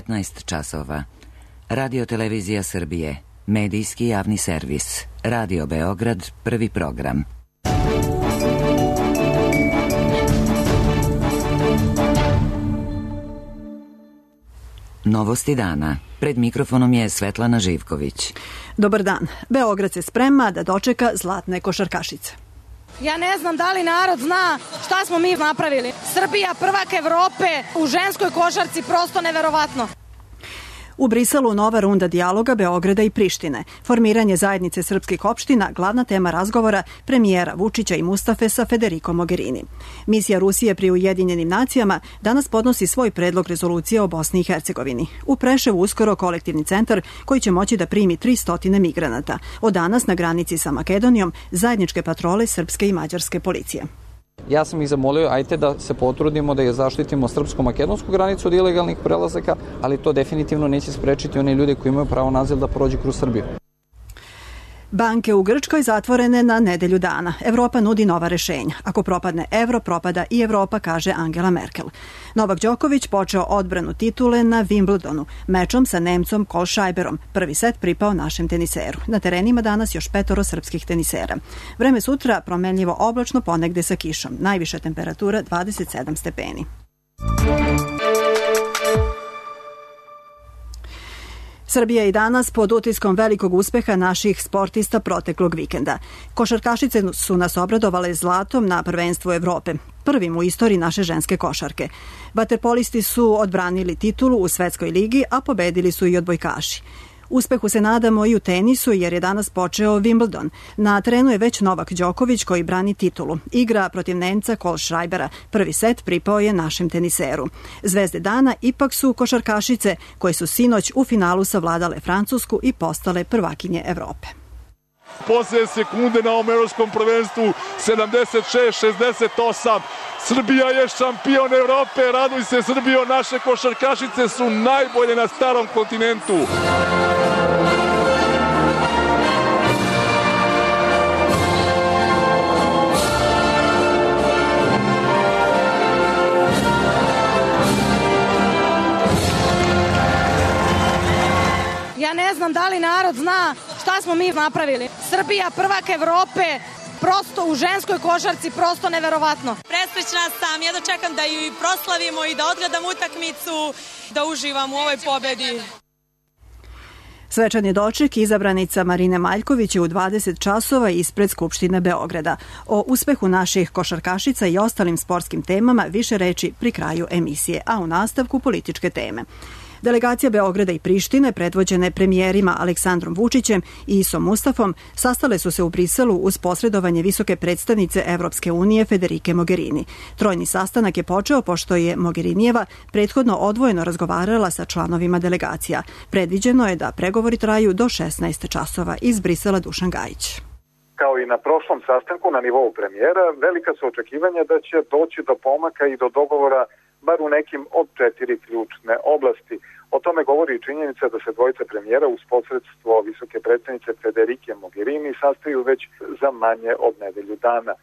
15 časova. Radio Televizija Srbije, medijski javni servis. Radio Beograd, prvi program. Novosti dana. Pred mikrofonom je Svetlana Živković. Dobar dan. Beograd se sprema da dočeka zlatne košarkašice. Ja ne znam da li narod zna šta smo mi napravili. Srbija prvak Evrope u ženskoj košarci, prosto neverovatno. U Briselu nova runda dijaloga Beograda i Prištine. Formiranje zajednice srpskih opština, glavna tema razgovora premijera Vučića i Mustafe sa Federico Mogherini. Misija Rusije pri Ujedinjenim nacijama danas podnosi svoj predlog rezolucije o Bosni i Hercegovini. U Preševu uskoro kolektivni centar koji će moći da primi 300 migranata. Od danas na granici sa Makedonijom zajedničke patrole srpske i mađarske policije. Ja sam ih zamolio, ajte da se potrudimo da je zaštitimo srpsko-makedonsku granicu od ilegalnih prelazaka, ali to definitivno neće sprečiti one ljude koji imaju pravo na azil da prođu kroz Srbiju. Banke u Grčkoj zatvorene na nedelju dana. Evropa nudi nova rešenja. Ako propadne evro, propada i Evropa, kaže Angela Merkel. Novak Đoković počeo odbranu titule na Wimbledonu, mečom sa Nemcom Kohlschreiberom. Prvi set pripao našem teniseru. Na terenima danas još 5 srpskih tenisera. Vreme sutra promenljivo oblačno, ponegde sa kišom. Najviša temperatura 27 stepeni. Srbija je i danas pod utiskom velikog uspeha naših sportista proteklog vikenda. Košarkašice su nas obradovale zlatom na prvenstvu Evrope, prvim u istoriji naše ženske košarke. Vaterpolisti su odbranili titulu u Svetskoj ligi, a pobedili su i odbojkaši. Uspehu se nadamo i u tenisu jer je danas počeo Wimbledon. Na terenu je već Novak Đoković koji brani titulu. Igra protiv Nemca Kohlschreibera. Prvi set pripao je našem teniseru. Zvezde dana ipak su košarkašice koje su sinoć u finalu savladale Francusku i postale prvakinje Evrope. Poslije sekunde na ovom evropskom prvenstvu 76-68. Srbija je šampion Evrope, raduj se Srbijo, naše košarkašice su najbolje na starom kontinentu. Ja ne znam da li narod zna šta smo mi napravili. Srbija prvak Evrope, prosto u ženskoj košarci, prosto neverovatno. Presrećna sam, jedno čekam da ju proslavimo i da odgledam utakmicu, da uživam u ovoj pobedi. Svečani doček izabranica Marine Maljković je u 20 časova ispred Skupštine Beograda. O uspehu naših košarkašica i ostalim sportskim temama više reči pri kraju emisije, a u nastavku političke teme. Delegacija Beograda i Prištine, predvođene premijerima Aleksandrom Vučićem i Isom Mustafom, sastale su se u Briselu uz posredovanje visoke predstavnice Evropske unije Federike Mogherini. Trojni sastanak je počeo pošto je Mogherinijeva prethodno odvojeno razgovarala sa članovima delegacija. Predviđeno je da pregovori traju do 16 časova. Iz Brisela Dušan Gajić. Kao i na prošlom sastanku na nivou premijera, velika su očekivanja da će doći do pomaka i do dogovora bar u nekim od 4 ključne oblasti. O tome govori i činjenica da se dvojica premijera uz posredstvo visoke predstavnice Federike Mogherini sastaju već za manje od nedelju dana.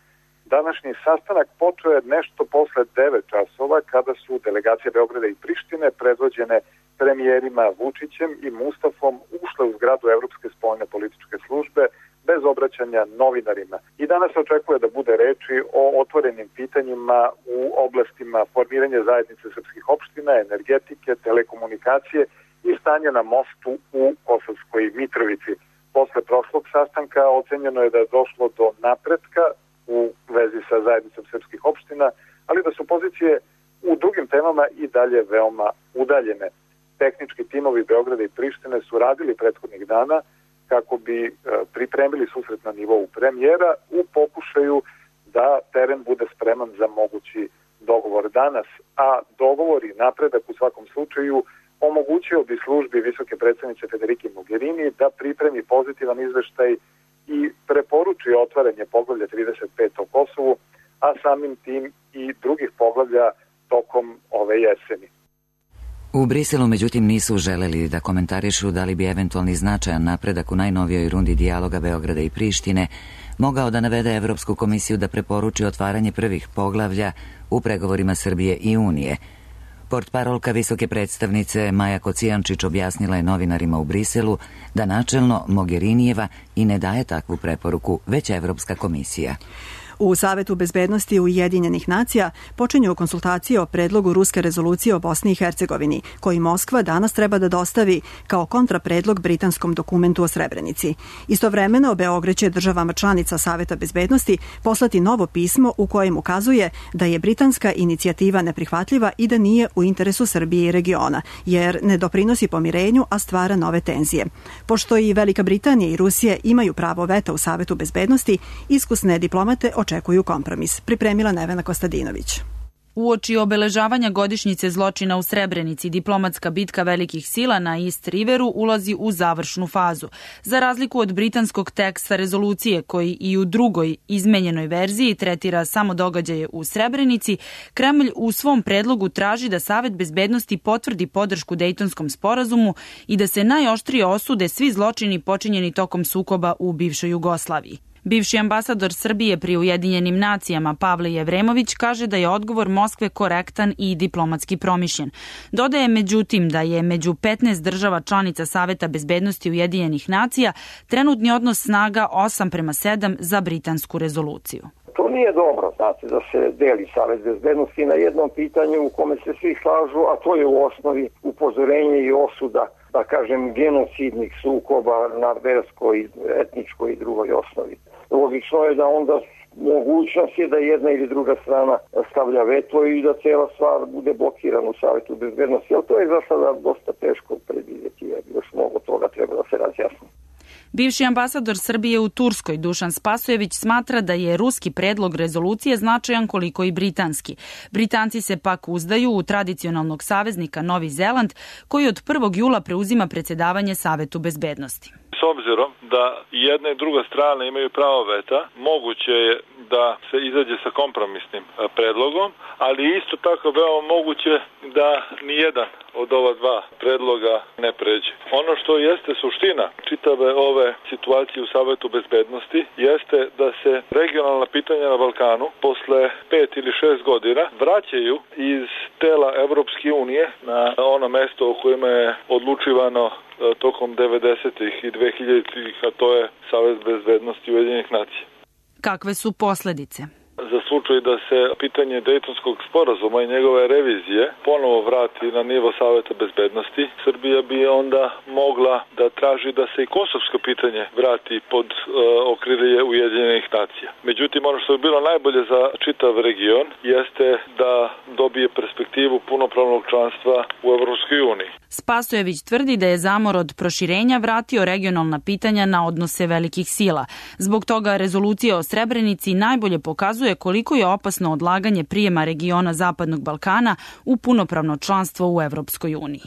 Današnji sastanak počeo je nešto posle 9 časova kada su delegacije Beograda i Prištine predvođene premijerima Vučićem i Mustafom ušle u zgradu Evropske spoljne političke službe bez obraćanja novinarima. I danas se očekuje da bude reči o otvorenim pitanjima u oblastima formiranja zajednice srpskih opština, energetike, telekomunikacije i stanja na mostu u Kosovskoj Mitrovici. Posle prošlog sastanka ocenjeno je da je došlo do napretka u vezi sa zajednicom srpskih opština, ali da su pozicije u drugim temama i dalje veoma udaljene. Tehnički timovi Beograda i Prištine su radili prethodnih dana kako bi pripremili susret na nivou premijera u pokušaju da teren bude spreman za mogući dogovor danas, a dogovor i napredak u svakom slučaju omogućio bi službi visoke predstavnice Federike Mogherini da pripremi pozitivan izveštaj i preporuči otvaranje poglavlja 35 o Kosovu, a samim tim i drugih poglavlja tokom ove jeseni. U Briselu, međutim, nisu želeli da komentarišu da li bi eventualni značajan napredak u najnovijoj rundi dijaloga Beograda i Prištine mogao da navede Evropsku komisiju da preporuči otvaranje prvih poglavlja u pregovorima Srbije i Unije. Portparolka visoke predstavnice Maja Kocijančić objasnila je novinarima u Briselu da načelno Mogherinijeva i ne daje takvu preporuku, već Evropska komisija. U Savetu bezbednosti Ujedinjenih nacija počinju konsultacije o predlogu ruske rezolucije o Bosni i Hercegovini, koji Moskva danas treba da dostavi kao kontrapredlog britanskom dokumentu o Srebrenici. Istovremeno, Beograd će državama članica Saveta bezbednosti poslati novo pismo u kojem ukazuje da je britanska inicijativa neprihvatljiva i da nije u interesu Srbije i regiona, jer ne doprinosi pomirenju, a stvara nove tenzije. Pošto i Velika Britanija i Rusija imaju pravo veta u Savetu bezbednosti, iskusne diplomate očekuju kompromis. Pripremila Nevena Kostadinović. Uoči obeležavanja godišnjice zločina u Srebrenici, diplomatska bitka velikih sila na East Riveru ulazi u završnu fazu. Za razliku od britanskog teksta rezolucije, koji i u drugoj izmenjenoj verziji tretira samo događaje u Srebrenici, Kremlj u svom predlogu traži da Savet bezbednosti potvrdi podršku Dejtonskom sporazumu i da se najoštrije osude svi zločini počinjeni tokom sukoba u bivšoj Jugoslaviji. Bivši ambasador Srbije pri Ujedinjenim nacijama Pavle Jevremović kaže da je odgovor Moskve korektan i diplomatski promišljen. Dodaje međutim da je među 15 država članica Saveta bezbednosti Ujedinjenih nacija trenutni odnos snaga 8:7 za britansku rezoluciju. To nije dobro, znate, da se deli Savet bezbednosti na jednom pitanju u kome se svi slažu, a to je u osnovi upozorenje i osuda, da kažem, genocidnih sukoba na verskoj, etničkoj i drugoj osnovi. Logično je da onda mogućnost je da jedna ili druga strana stavlja veto i da cela stvar bude blokirana u Savetu bezbednosti, ali to je za sada dosta teško predvidjeti, jer još mnogo toga treba da se razjasni. Bivši ambasador Srbije u Turskoj Dušan Spasojević smatra da je ruski predlog rezolucije značajan koliko i britanski. Britanci se pak uzdaju u tradicionalnog saveznika Novi Zeland, koji od 1. jula preuzima predsjedavanje Savetu bezbednosti. S obzirom da jedna i druga strana imaju pravo veta, moguće je da se izađe sa kompromisnim predlogom, ali isto tako veoma moguće da nijedan od ova dva predloga ne pređe. Ono što jeste suština čitave ove situacije u Savetu bezbednosti jeste da se regionalna pitanja na Balkanu posle 5 ili 6 godina vraćaju iz tela Evropske unije na ono mesto o kojima je odlučivano tokom 90-ih i 2000-ih, a to je Savet bezbednosti Ujedinjenih nacija. Kakve su posljedice? Za slučaj da se pitanje Dejtonskog sporazuma i njegove revizije ponovo vrati na nivo Saveta bezbednosti, Srbija bi onda mogla da traži da se i kosovsko pitanje vrati pod okrilje Ujedinjenih nacija. Međutim, ono što bi bilo najbolje za čitav region jeste da dobije perspektivu punopravnog članstva u Evropskoj uniji. Spasojević tvrdi da je zamor od proširenja vratio regionalna pitanja na odnose velikih sila. Zbog toga rezolucija o Srebrenici najbolje pokazuje koliko je opasno odlaganje prijema regiona Zapadnog Balkana u punopravno članstvo u Evropskoj uniji.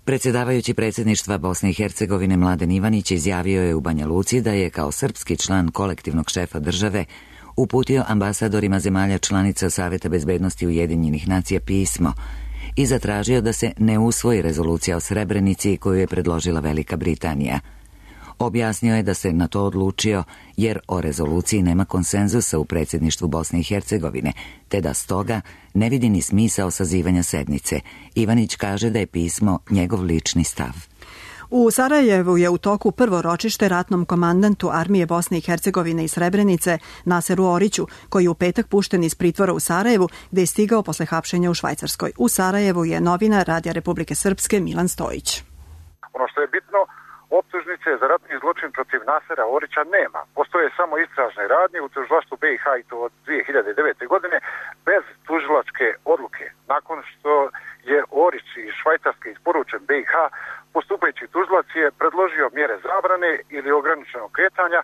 Predsjedavajući predsjedništva Bosne i Hercegovine Mladen Ivanić izjavio je u Banja Luci da je kao srpski član kolektivnog šefa države uputio ambasadorima zemalja članica Saveta bezbednosti Ujedinjenih nacija pismo i zatražio da se ne usvoji rezolucija o Srebrenici koju je predložila Velika Britanija. Objasnio je da se na to odlučio jer o rezoluciji nema konsenzusa u predsjedništvu Bosne i Hercegovine, te da stoga ne vidi ni smisao sazivanja sednice. Ivanić kaže da je pismo njegov lični stav. U Sarajevu je u toku prvo ročište ratnom komandantu armije Bosne i Hercegovine i Srebrenice Naseru Oriću, koji je u petak pušten iz pritvora u Sarajevu, gde je stigao posle hapšenja u Švajcarskoj. U Sarajevu je novinar Radija Republike Srpske Milan Stojić. Ono što je bitno, optužnice za ratni zločin protiv Nasera Orića nema. Postoje samo istražne radnje u tužilaštvu BiH i to od 2009. godine bez tužilačke odluke. Nakon što je Orić iz Švajcarske isporučen BiH, postupajući tužilac je predložio mjere zabrane ili ograničenog kretanja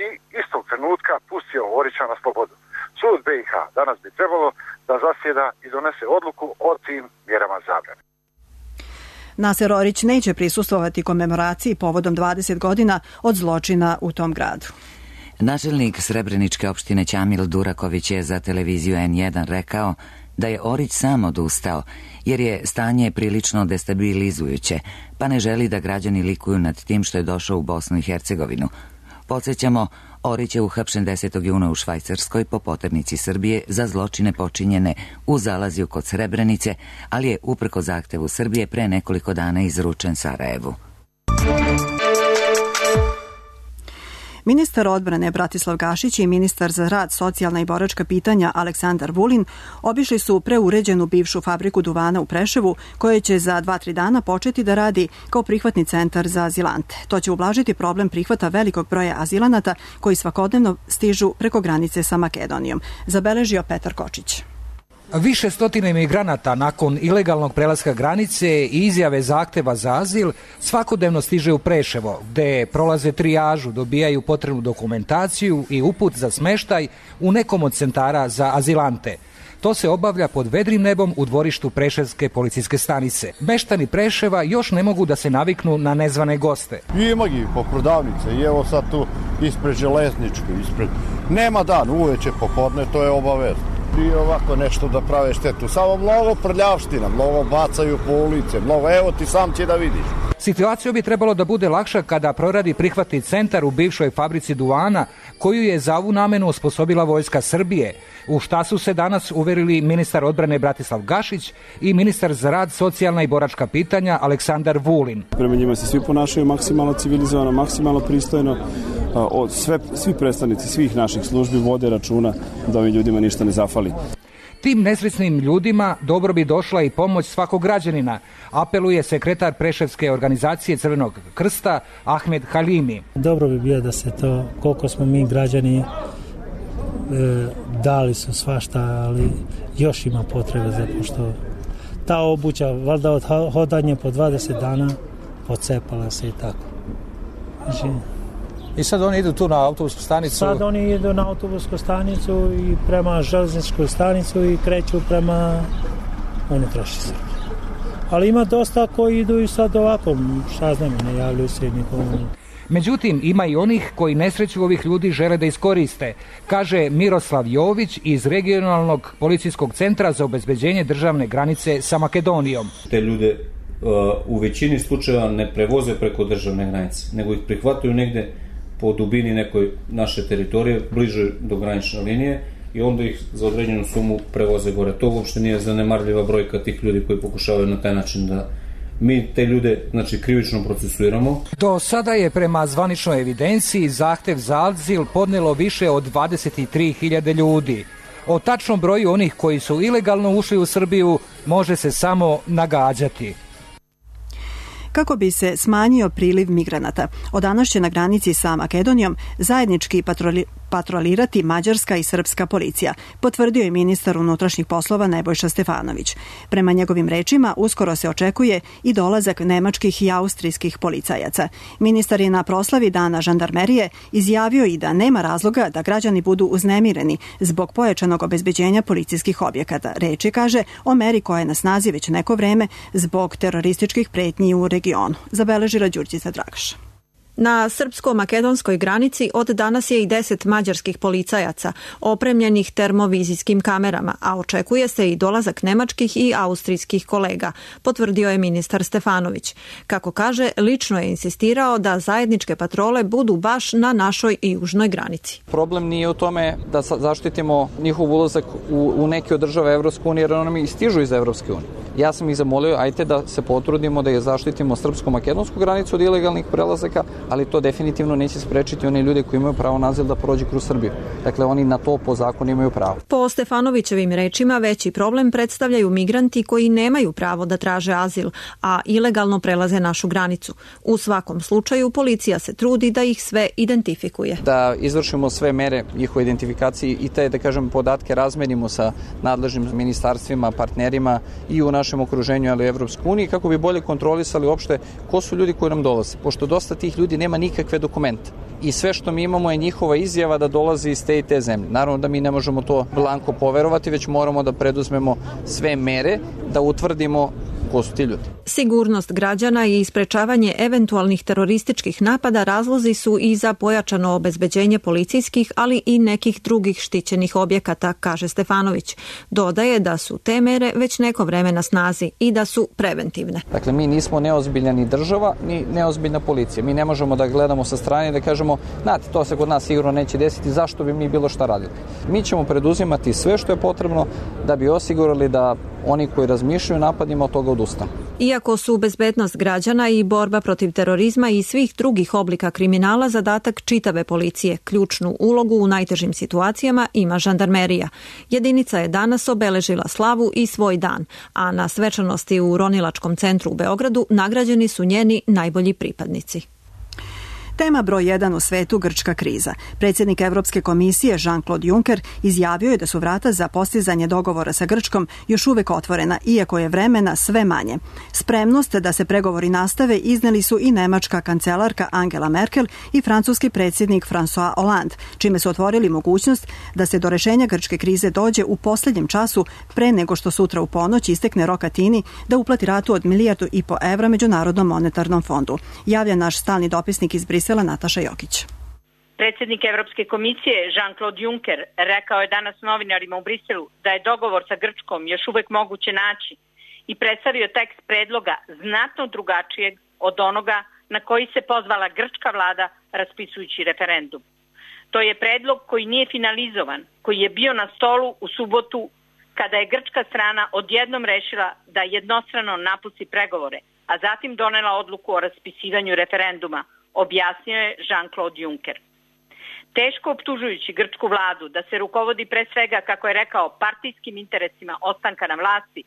i istog trenutka pustio Orića na slobodu. Sud BiH danas bi trebalo da zasjeda i donese odluku o tim mjerama zabrane. Naser Orić neće prisustvovati komemoraciji povodom 20 godina od zločina u tom gradu. Načelnik Srebreničke opštine Ćamil Duraković je za televiziju N1 rekao da je Orić sam odustao, jer je stanje prilično destabilizujuće, pa ne želi da građani likuju nad tim što je došao u Bosnu i Hercegovinu. Podsjećamo, Orić je uhapšen 10. juna u Švajcarskoj po poternici Srbije za zločine počinjene u Zalaziju kod Srebrenice, ali je uprko zahtevu Srbije pre nekoliko dana izručen Sarajevu. Ministar odbrane Bratislav Gašić i ministar za rad, socijalna i boračka pitanja Aleksandar Vulin obišli su preuređenu bivšu fabriku duvana u Preševu, koja će za 2-3 dana početi da radi kao prihvatni centar za azilante. To će ublažiti problem prihvata velikog broja azilanata koji svakodnevno stižu preko granice sa Makedonijom, zabeležio Petar Kočić. Više stotina imigranata nakon ilegalnog prelaska granice i izjave zahteva za azil svakodnevno stiže u Preševo, gde prolaze trijažu, dobijaju potrebnu dokumentaciju i uput za smeštaj u nekom od centara za azilante. To se obavlja pod vedrim nebom u dvorištu Preševske policijske stanice. Meštani Preševa još ne mogu da se naviknu na nezvane goste. Ima ih po prodavnice i evo sad tu ispred Železničke, nema dan, uveče popodne, to je obavezno. I ovako nešto da prave štetu. Samo mnogo prljavština, mnogo bacaju po ulice, mnogo, evo ti sam će da vidiš. Situacija bi trebalo da bude lakša kada proradi prihvatni centar u bivšoj fabrici duvana, koju je za ovu namenu osposobila Vojska Srbije, u šta su se danas uverili ministar odbrane Bratislav Gašić i ministar za rad, socijalna i boračka pitanja Aleksandar Vulin. Prema njima se svi ponašaju maksimalno civilizovano, maksimalno pristojno. Svi predstavnici svih naših službi vode računa da ovim ljudima ništa ne zafali. Tim nesrećnim ljudima dobro bi došla i pomoć svakog građanina, apeluje sekretar Preševske organizacije Crvenog krsta Ahmed Halimi. Dobro bi bilo da se to, koliko smo mi građani dali su svašta, ali još ima potrebe za pošto ta obuća, valjda od hodanje po 20 dana pocepala se i tako. Znači, i sad oni idu tu na autobusku stanicu? Sad oni idu na autobusku stanicu i prema železničku stanicu i kreću prema unutrašnjoj Srbiji. Ali ima dosta koji idu i sad ovako, šta znam, ne javljaju se nikomu. Međutim, ima i onih koji nesreću ovih ljudi žele da iskoriste, kaže Miroslav Jović iz regionalnog policijskog centra za obezbeđenje državne granice sa Makedonijom. Te ljude u većini slučajeva ne prevoze preko državne granice, nego ih prihvataju negde po dubini nekoj naše teritorije, bliže do granične linije i onda ih za određenu sumu prevoze gore. To uopšte nije zanemarljiva brojka tih ljudi koji pokušavaju na taj način da mi te ljude, znači, krivično procesuiramo. Do sada je prema zvaničnoj evidenciji zahtev za azil podnelo više od 23.000 ljudi. O tačnom broju onih koji su ilegalno ušli u Srbiju može se samo nagađati. Kako bi se smanjio priliv migranata, od danas će na granici sa Makedonijom zajednički patrolirati mađarska i srpska policija, potvrdio je ministar unutrašnjih poslova Nebojša Stefanović. Prema njegovim rečima, uskoro se očekuje i dolazak nemačkih i austrijskih policajaca. Ministar je na proslavi Dana žandarmerije izjavio i da nema razloga da građani budu uznemireni zbog pojačanog obezbeđenja policijskih objekata. Reč je, kaže, o meri koja je na snazi već neko vreme zbog terorističkih pretnji u regionu. Zabeležila Đurđica Dragaš. Na srpsko-makedonskoj granici od danas je i 10 mađarskih policajaca opremljenih termovizijskim kamerama, a očekuje se i dolazak nemačkih i austrijskih kolega, potvrdio je ministar Stefanović. Kako kaže, lično je insistirao da zajedničke patrole budu baš na našoj i južnoj granici. Problem nije u tome da zaštitimo njihov ulazak u neke od država Evropske unije, jer oni stižu iz Evropske unije. Ja sam ih zamolio, ajte da se potrudimo da je zaštitimo srpsko-makedonsku granicu od ilegalnih prelazaka, ali to definitivno neće sprečiti one ljude koji imaju pravo na azil da prođu kroz Srbiju. Dakle, oni na to po zakonu imaju pravo. Po Stefanovićevim rečima, veći problem predstavljaju migranti koji nemaju pravo da traže azil, a ilegalno prelaze našu granicu. U svakom slučaju, policija se trudi da ih sve identifikuje. Da izvršimo sve mere njihove identifikacije i te, da kažem, podatke razmenimo sa nadležnim ministarstvima, partnerima i u našem okruženju, ali u Evropskoj uniji, kako bi bolje kontrolisali uopšte ko su ljudi koji nam dolaze. Pošto dosta tih ljudi nema nikakve dokumente. I sve što mi imamo je njihova izjava da dolazi iz te i te zemlje. Naravno da mi ne možemo to blanko poverovati, već moramo da preduzmemo sve mere, da utvrdimo ko su ti ljudi. Sigurnost građana i sprečavanje eventualnih terorističkih napada razlozi su i za pojačano obezbeđenje policijskih, ali i nekih drugih štićenih objekata, kaže Stefanović. Dodaje da su te mere već neko vreme na snazi i da su preventivne. Dakle, mi nismo neozbiljna ni država, ni neozbiljna policija. Mi ne možemo da gledamo sa strane i da kažemo, znate, to se kod nas sigurno neće desiti, zašto bi mi bilo šta radili. Mi ćemo preduzimati sve što je potrebno da bi osigurali da oni koji razmišljaju napadima od toga odustanu. Iako su bezbednost građana i borba protiv terorizma i svih drugih oblika kriminala zadatak čitave policije, ključnu ulogu u najtežim situacijama ima žandarmerija. Jedinica je danas obeležila slavu i svoj dan, a na svečanosti u Ronilačkom centru u Beogradu nagrađeni su njeni najbolji pripadnici. Tema broj 1 u svetu, grčka kriza. Predsjednik Evropske komisije Jean-Claude Juncker izjavio je da su vrata za postizanje dogovora sa Grčkom još uvek otvorena, iako je vremena sve manje. Spremnost da se pregovori nastave izneli su i nemačka kancelarka Angela Merkel i francuski predsjednik François Hollande, čime su otvorili mogućnost da se do rešenja grčke krize dođe u posljednjem času pre nego što sutra u ponoć istekne rok Atini da uplati ratu od 1,5 milijardu evra Međunarodnom monetarnom fondu. Javlja naš stalni dopisnik iz Brisela Nataša Jokić. Predsjednik Evropske komisije Jean-Claude Juncker rekao je danas novinarima u Briselu da je dogovor sa Grčkom još uvek moguće naći i predstavio tekst predloga znatno drugačijeg od onoga na koji se pozvala grčka vlada raspisujući referendum. To je predlog koji nije finalizovan, koji je bio na stolu u subotu kada je grčka strana odjednom rešila da jednostrano napusti pregovore, a zatim donela odluku o raspisivanju referenduma, objasnio je Jean-Claude Juncker. Teško optužujući grčku vladu da se rukovodi pre svega, kako je rekao, partijskim interesima ostanka na vlasti,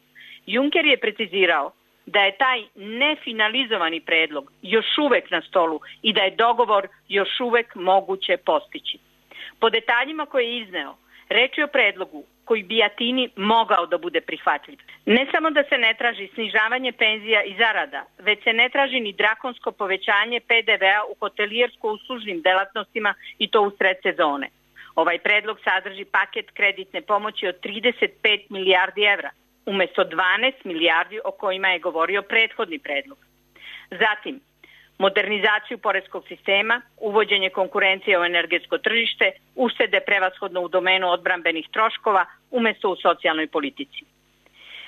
Juncker je precizirao da je taj nefinalizovani predlog još uvek na stolu i da je dogovor još uvek moguće postići. Po detaljima koje je izneo, reč je o predlogu koji bi Atini mogao da bude prihvatljiv. Ne samo da se ne traži snižavanje penzija i zarada, već se ne traži ni drakonsko povećanje PDV-a u hotelijersko-uslužnim delatnostima i to u sred sezone. Ovaj predlog sadrži paket kreditne pomoći od 35 milijardi evra, umesto 12 milijardi o kojima je govorio prethodni predlog. Zatim, modernizaciju poreskog sistema, uvođenje konkurencije u energetsko tržište, uštede prevashodno u domenu odbrambenih troškova umesto u socijalnoj politici.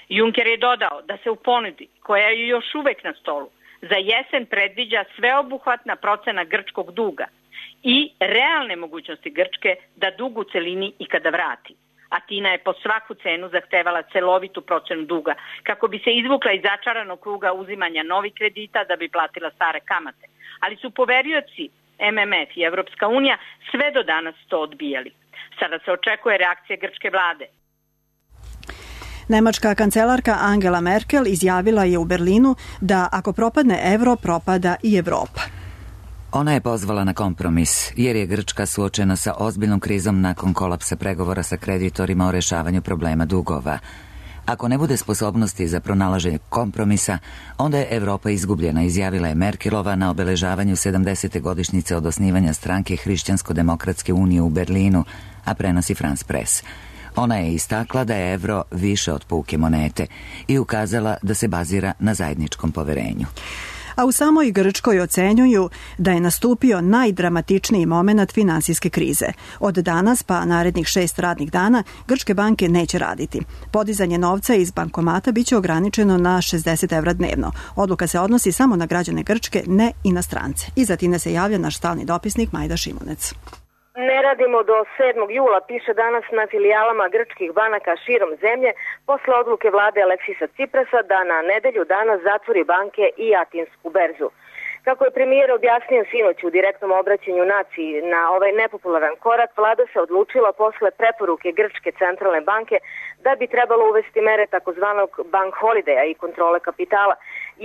Juncker je dodao da se u ponudi, koja je još uvek na stolu, za jesen predviđa sveobuhvatna procena grčkog duga i realne mogućnosti Grčke da dug u celini ikada vrati. Atina je po svaku cenu zahtevala celovitu procenu duga kako bi se izvukla iz začaranog kruga uzimanja novih kredita da bi platila stare kamate. Ali su poverioci MMF i Evropska unija sve do danas to odbijali. Sada se očekuje reakcija grčke vlade. Nemačka kancelarka Angela Merkel izjavila je u Berlinu da ako propadne evro, propada i Evropa. Ona je pozvala na kompromis, jer je Grčka suočena sa ozbiljnom krizom nakon kolapsa pregovora sa kreditorima o rešavanju problema dugova. Ako ne bude sposobnosti za pronalaženje kompromisa, onda je Evropa izgubljena, izjavila je Merkelova na obeležavanju 70. godišnjice od osnivanja stranke Hrišćansko-demokratske unije u Berlinu, a prenosi France Press. Ona je istakla da je evro više od puke monete i ukazala da se bazira na zajedničkom poverenju. A u samoj Grčkoj ocenjuju da je nastupio najdramatičniji moment finansijske krize. Od danas pa narednih 6 radnih dana grčke banke neće raditi. Podizanje novca iz bankomata biće ograničeno na 60 evra dnevno. Odluka se odnosi samo na građane Grčke, ne i na strance. Iz Atine se javlja naš stalni dopisnik Majda Šimunec. Ne radimo do 7. jula, piše danas na filijalama grčkih banaka širom zemlje, posle odluke vlade Aleksisa Ciprasa da na nedelju dana zatvori banke i atinsku berzu. Kako je premijer objasnio sinoć u direktnom obraćanju naciji na ovaj nepopularan korak, vlada se odlučila posle preporuke Grčke centralne banke da bi trebalo uvesti mere takozvanog bank holideja i kontrole kapitala,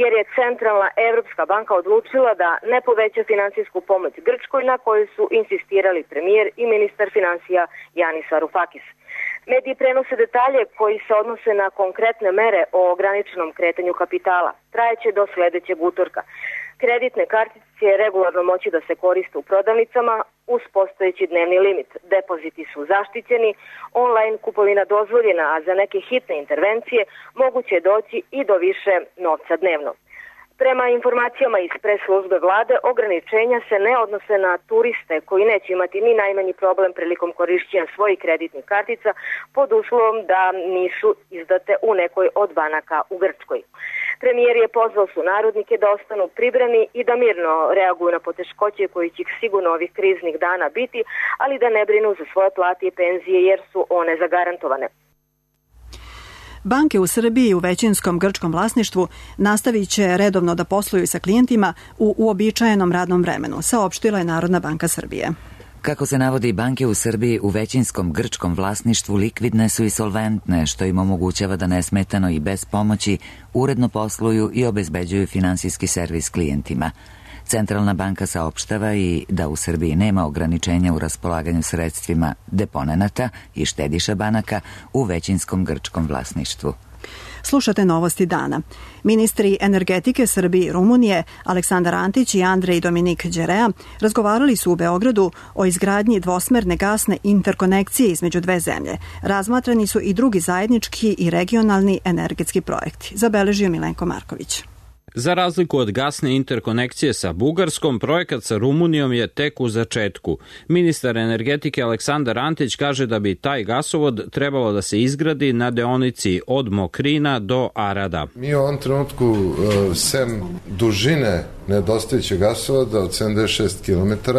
jer je Centralna Evropska banka odlučila da ne poveća finansijsku pomoć Grčkoj na kojoj su insistirali premijer i ministar finansija Janis Varoufakis. Mediji prenose detalje koji se odnose na konkretne mere o ograničenom kretanju kapitala. Trajeće do sledećeg utorka. Kreditne kartice će regularno moći da se koriste u prodavnicama uz postojeći dnevni limit. Depoziti su zaštićeni, online kupovina dozvoljena, a za neke hitne intervencije moguće je doći i do više novca dnevno. Prema informacijama iz pres službe vlade, ograničenja se ne odnose na turiste koji neće imati ni najmanji problem prilikom korišćenja svojih kreditnih kartica pod uslovom da nisu izdate u nekoj od banaka u Grčkoj. Premijer je pozvao sunarodnike da ostanu pribrani i da mirno reaguju na poteškoće koji će sigurno ovih kriznih dana biti, ali da ne brinu za svoje plate i penzije jer su one zagarantovane. Banke u Srbiji u većinskom grčkom vlasništvu nastavit će redovno da posluju sa klijentima u uobičajenom radnom vremenu, saopštila je Narodna banka Srbije. Kako se navodi, banke u Srbiji u većinskom grčkom vlasništvu likvidne su i solventne, što im omogućava da nesmetano i bez pomoći uredno posluju i obezbeđuju finansijski servis klijentima. Centralna banka saopštava i da u Srbiji nema ograničenja u raspolaganju sredstvima deponenata i štediša banaka u većinskom grčkom vlasništvu. Slušate novosti dana. Ministri energetike Srbije i Rumunije, Aleksandar Antić i Andrej Dominik Đerea, razgovarali su u Beogradu o izgradnji dvosmerne gasne interkonekcije između dve zemlje. Razmatrani su i drugi zajednički i regionalni energetski projekti, zabeležio Milenko Marković. Za razliku od gasne interkonekcije sa Bugarskom, projekat sa Rumunijom je tek u začetku. Ministar energetike Aleksandar Antić kaže da bi taj gasovod trebalo da se izgradi na deonici od Mokrina do Arada. Mi u ovom trenutku, sem dužine nedostajućeg gasovoda od 76 km,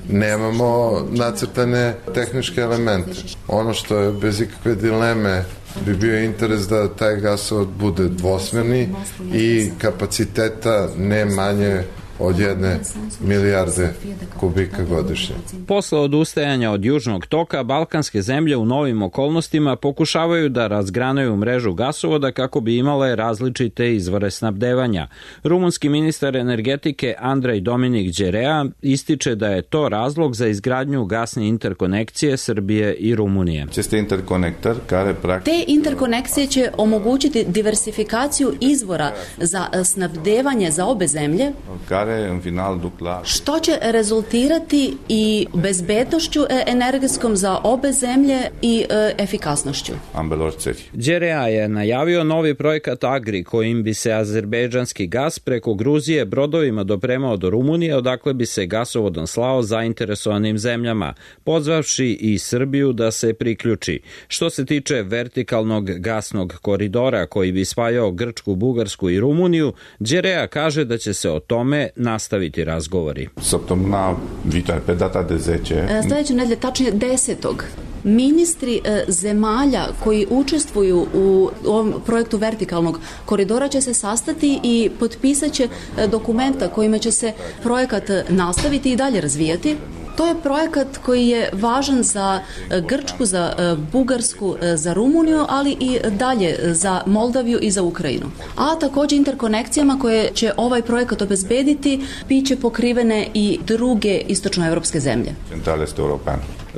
nemamo nacrtane tehničke elemente. Ono što je bez ikakve dileme bi bio interes da taj gasovod bude dvosmerni i kapaciteta ne manje od 1 milijarde kubika godišnje. Posle odustajanja od Južnog toka, balkanske zemlje u novim okolnostima pokušavaju da razgranaju mrežu gasovoda kako bi imale različite izvore snabdevanja. Rumunski ministar energetike Andrej Dominik Đerea ističe da je to razlog za izgradnju gasne interkonekcije Srbije i Rumunije. Te interkonekcije će omogućiti diversifikaciju izvora za snabdevanje za obe zemlje, što će rezultirati i bezbednošću energetskom za obe zemlje i efikasnošću. Đerea je najavio novi projekat Agri, kojim bi se azerbejdžanski gas preko Gruzije brodovima dopremao do Rumunije, odakle bi se gasovodom slao zainteresovanim zemljama, pozvavši i Srbiju da se priključi. Što se tiče vertikalnog gasnog koridora koji bi spajao Grčku, Bugarsku i Rumuniju, Đerea kaže da će se o tome nastaviti razgovori. Sljedeće nedelje, tačnije 10. Ministri zemalja koji učestvuju u ovom projektu vertikalnog koridora će se sastati i potpisat će dokumenta kojima će se projekat nastaviti i dalje razvijati. To je projekat koji je važan za Grčku, za Bugarsku, za Rumuniju, ali i dalje za Moldaviju i za Ukrajinu. A također interkonekcijama koje će ovaj projekat obezbediti biće pokrivene i druge istočnoevropske zemlje.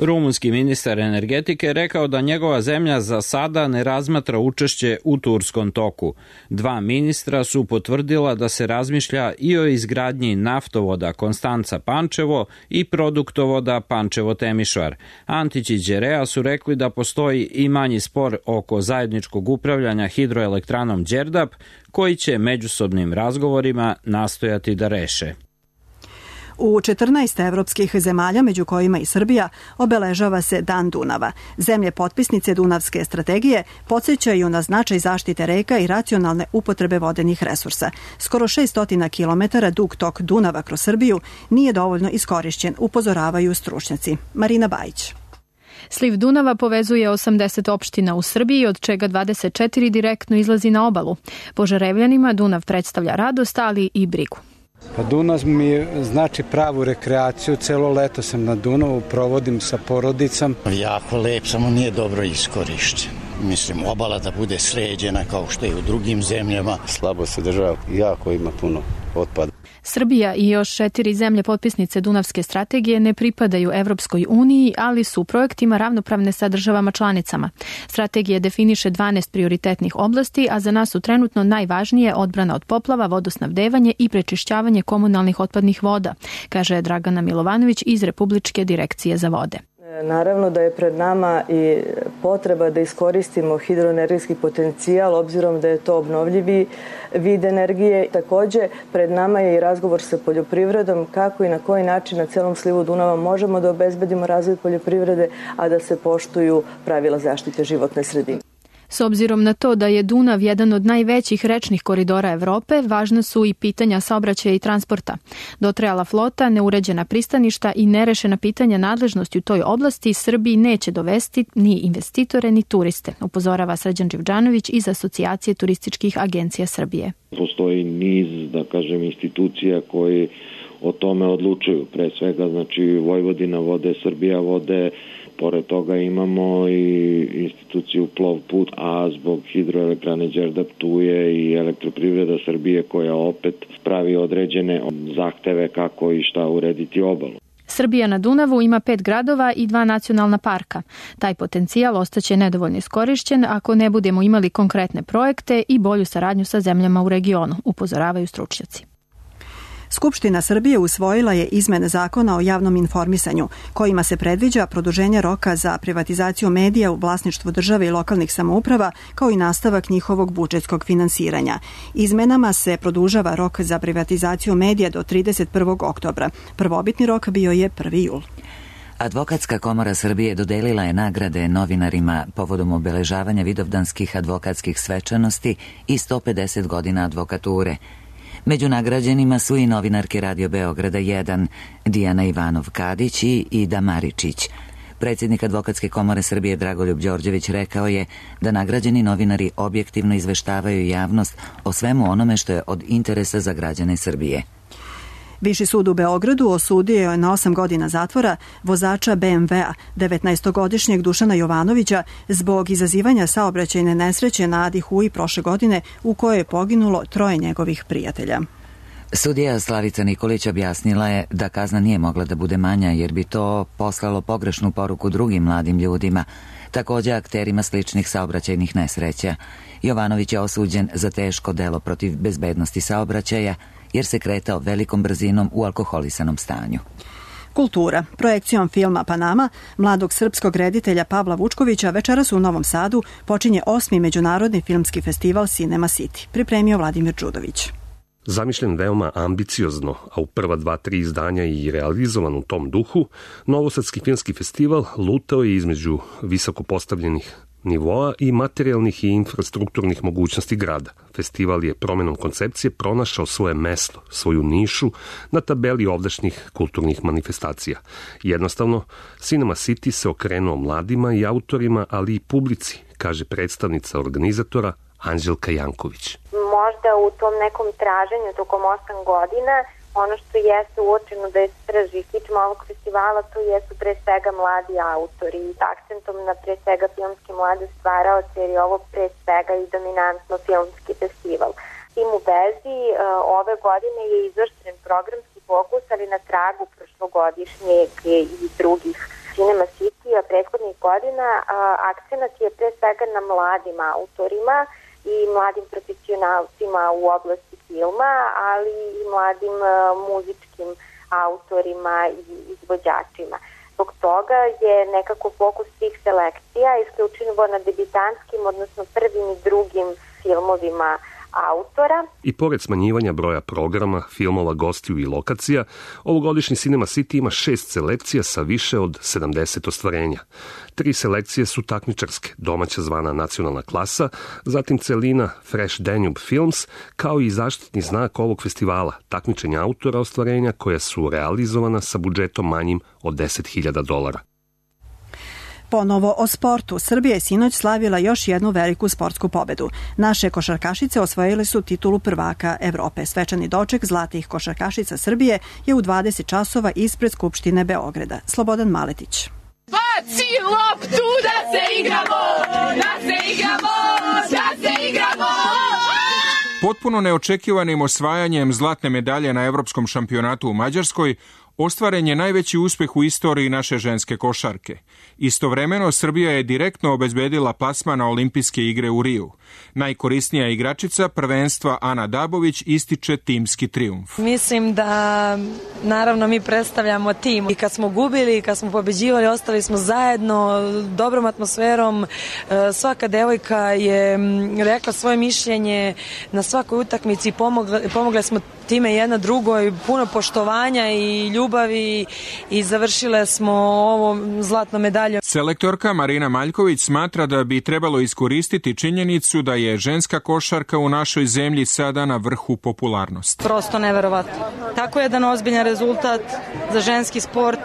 Rumunski ministar energetike rekao da njegova zemlja za sada ne razmatra učešće u Turskom toku. Dva ministra su potvrdila da se razmišlja i o izgradnji naftovoda Konstanca-Pančevo i produktovoda Pančevo-Temišvar. Antić i Đerea su rekli da postoji i manji spor oko zajedničkog upravljanja hidroelektranom Đerdap, koji će međusobnim razgovorima nastojati da reše. U 14 evropskih zemalja, među kojima i Srbija, obeležava se Dan Dunava. Zemlje potpisnice Dunavske strategije podsjećaju na značaj zaštite reka i racionalne upotrebe vodenih resursa. Skoro 600 km dug tok Dunava kroz Srbiju nije dovoljno iskorišćen, upozoravaju stručnjaci. Marina Bajić. Sliv Dunava povezuje 80 opština u Srbiji, od čega 24 direktno izlazi na obalu. Požarevljanima Dunav predstavlja radost, ali i brigu. Dunav mi znači pravu rekreaciju, celo leto sam na Dunavu, provodim sa porodicom. Jako lep, samo nije dobro iskorišćen. Mislim, obala da bude sređena kao što je u drugim zemljama. Slabo se država, jako ima puno otpada. Srbija i još 4 zemlje potpisnice Dunavske strategije ne pripadaju Evropskoj uniji, ali su u projektima ravnopravne sa državama članicama. Strategija definiše 12 prioritetnih oblasti, a za nas su trenutno najvažnije odbrana od poplava, vodosnabdevanje i prečišćavanje komunalnih otpadnih voda, kaže Dragana Milovanović iz Republičke direkcije za vode. Naravno da je pred nama i potreba da iskoristimo hidroenergetski potencijal, obzirom da je to obnovljivi vid energije. Takođe, pred nama je i razgovor sa poljoprivredom, kako i na koji način na celom slivu Dunava možemo da obezbedimo razvoj poljoprivrede, a da se poštuju pravila zaštite životne sredine. S obzirom na to da je Dunav jedan od najvećih rečnih koridora Evrope, važna su i pitanja saobraćaja i transporta. Dotrajala flota, neuređena pristaništa i nerešena pitanja nadležnosti u toj oblasti Srbiji neće dovesti ni investitore ni turiste, upozorava Srđan Đivđanović iz Asocijacije turističkih agencija Srbije. Postoji niz, da kažem, institucija koji o tome odlučuju. Pre svega, znači, Vojvodina vode, Srbija vode. Pored toga imamo i instituciju Plovput, a zbog hidroelektrane Đerdap tu je i Elektroprivreda Srbije koja opet pravi određene zahteve kako i šta urediti obalu. Srbija na Dunavu ima 5 gradova i 2 nacionalna parka. Taj potencijal ostaće nedovoljno iskorišćen ako ne budemo imali konkretne projekte i bolju saradnju sa zemljama u regionu, upozoravaju stručnjaci. Skupština Srbije usvojila je izmene zakona o javnom informisanju, kojima se predviđa produženje roka za privatizaciju medija u vlasništvu države i lokalnih samouprava, kao i nastavak njihovog budžetskog finansiranja. Izmenama se produžava rok za privatizaciju medija do 31. oktobra. Prvobitni rok bio je 1. jul. Advokatska komora Srbije dodelila je nagrade novinarima povodom obeležavanja vidovdanskih advokatskih svečanosti i 150 godina advokature. Među nagrađenima su i novinarke Radio Beograda 1, Dijana Ivanov-Kadić i Ida Maričić. Predsjednik Advokatske komore Srbije Dragoljub Đorđević rekao je da nagrađeni novinari objektivno izveštavaju javnost o svemu onome što je od interesa za građane Srbije. Viši sud u Beogradu osudio je na 8 godina zatvora vozača BMW-a, 19-godišnjeg Dušana Jovanovića, zbog izazivanja saobraćajne nesreće na Adi Huji prošle godine u kojoj je poginulo 3 njegovih prijatelja. Sudija Slavica Nikolić objasnila je da kazna nije mogla da bude manja jer bi to poslalo pogrešnu poruku drugim mladim ljudima, također akterima sličnih saobraćajnih nesreća. Jovanović je osuđen za teško delo protiv bezbednosti saobraćaja jer se kretao velikom brzinom u alkoholisanom stanju. Kultura. Projekcijom filma Panama, mladog srpskog reditelja Pavla Vučkovića, večeras u Novom Sadu počinje 8. međunarodni filmski festival Cinema City. Pripremio Vladimir Đudović. Zamišljen veoma ambiciozno, a u prva 2-3 izdanja i realizovan u tom duhu, Novosadski filmski festival lutao je između visoko postavljenih nivoa i materijalnih i infrastrukturnih mogućnosti grada. Festival je promenom koncepcije pronašao svoje mesto, svoju nišu na tabeli ovdašnjih kulturnih manifestacija. Jednostavno, Cinema City se okrenuo mladima i autorima, ali i publici, kaže predstavnica organizatora Anđelka Janković. Možda u tom nekom traženju tokom 8 godina ono što jeste uočeno da je srž i kičma ovog festivala, to jesu pre svega mladi autori i akcentom na pre svega filmski mlade stvaraoce, jer je ovo pre svega i dominantno filmski festival. Tim u vezi ove godine je izvršen programski fokus, ali na tragu prošlogodišnjeg i drugih Cinema City-a prethodnih godina. Akcenat je pre svega na mladim autorima i mladim profesionalcima u oblasti filma, ali i mladim muzičkim autorima i izvođačima. Zbog toga je nekako fokus tih selekcija isključivo na debitantskim, odnosno prvim i drugim filmovima autora. I pored smanjivanja broja programa, filmova, gostiju i lokacija, ovogodišnji Cinema City ima 6 selekcija sa više od 70 ostvarenja. 3 selekcije su takmičarske, domaća zvana Nacionalna klasa, zatim celina Fresh Danube Films, kao i zaštitni znak ovog festivala, takmičenja autora ostvarenja koja su realizovana sa budžetom manjim od $10.000. Ponovo o sportu. Srbija je sinoć slavila još jednu veliku sportsku pobedu. Naše košarkašice osvojile su titulu prvaka Evrope. Svečani doček zlatih košarkašica Srbije je u 20 časova ispred Skupštine Beograda. Slobodan Maletić. Baci loptu da se igramo, da se igramo, da se igramo! Potpuno neočekivanim osvajanjem zlatne medalje na Evropskom šampionatu u Mađarskoj ostvaren je najveći uspeh u istoriji naše ženske košarke. Istovremeno, Srbija je direktno obezbedila plasman na olimpijske igre u Riju. Najkorisnija igračica prvenstva Ana Dabović ističe timski trijumf. Mislim da, naravno, mi predstavljamo tim. I kad smo gubili, i kad smo pobeđivali, ostali smo zajedno, dobrom atmosferom. Svaka devojka je rekla svoje mišljenje na svakoj utakmici, pomogle smo time jedna drugoj, puno poštovanja i ljubavi i završile smo ovo zlatno medalje. Selektorka Marina Maljković smatra da bi trebalo iskoristiti činjenicu da je ženska košarka u našoj zemlji sada na vrhu popularnosti. Prosto neverovatno. Tako jedan ozbiljan rezultat za ženski sport,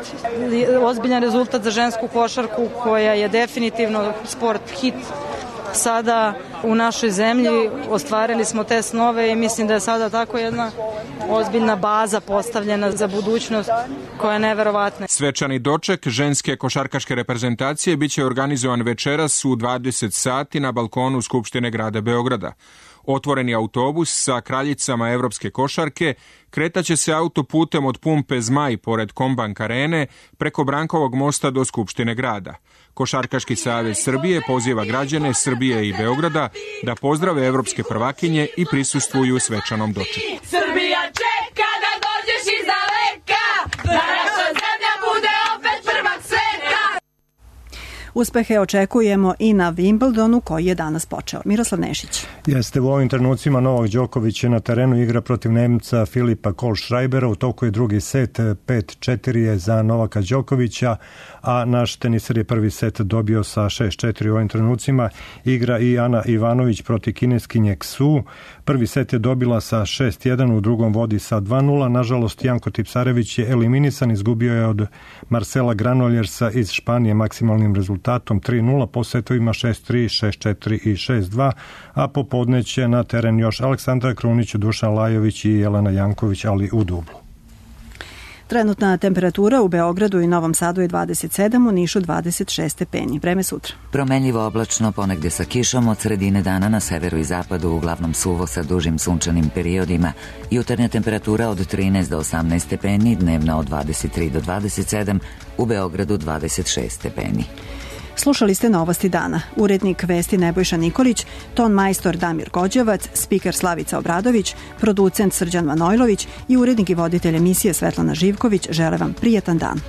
ozbiljan rezultat za žensku košarku koja je definitivno sport hit sada u našoj zemlji. Ostvarili smo te snove i mislim da je sada tako jedna ozbiljna baza postavljena za budućnost koja je neverovatna. Svečani doček ženske košarkaške reprezentacije biće organizovan večeras u 20 sati na balkonu Skupštine grada Beograda. Otvoreni autobus sa kraljicama evropske košarke kretaće se autoputem od pumpe Zmaj pored Kombank arene preko Brankovog mosta do Skupštine grada. Košarkaški savez Srbije poziva građane Srbije i Beograda da pozdrave evropske prvakinje i prisustvuju svečanom dočeku. Srbija čeka da dođeš iz daleka, da naša zemlja bude opet prvak sveta. Uspehe očekujemo i na Wimbledonu koji je danas počeo. Miroslav Nešić. Jeste, u ovim trenucima Novak Đoković je na terenu, igra protiv Nemca Filipa Kohlschreibera. U toku je drugi set, 5-4 je za Novaka Đokovića, a naš teniser je prvi set dobio sa 6-4. U ovim trenucima igra i Ana Ivanović protiv kineskinje Ksu. Prvi set je dobila sa 6-1, u drugom vodi sa 2-0. Nažalost, Janko Tipsarević je eliminisan, izgubio je od Marcela Granoljersa iz Španije maksimalnim rezultatom 3-0, po setovima 6-3, 6-4 i 6-2, a popodne će na teren još Aleksandra Krunić, Dušan Lajović i Jelena Janković, ali u dublu. Trenutna temperatura u Beogradu i Novom Sadu je 27, u Nišu 26 stepeni. Vreme sutra. Promenljivo oblačno, ponegde sa kišom, od sredine dana na severu i zapadu uglavnom suvo sa dužim sunčanim periodima. Jutarnja temperatura od 13 do 18 stepeni, dnevna od 23 do 27, u Beogradu 26 stepeni. Slušali ste Novosti dana. Urednik vesti Nebojša Nikolić, ton majstor Damir Gođevac, spiker Slavica Obradović, producent Srđan Manojlović i urednik i voditelj emisije Svetlana Živković žele vam prijatan dan.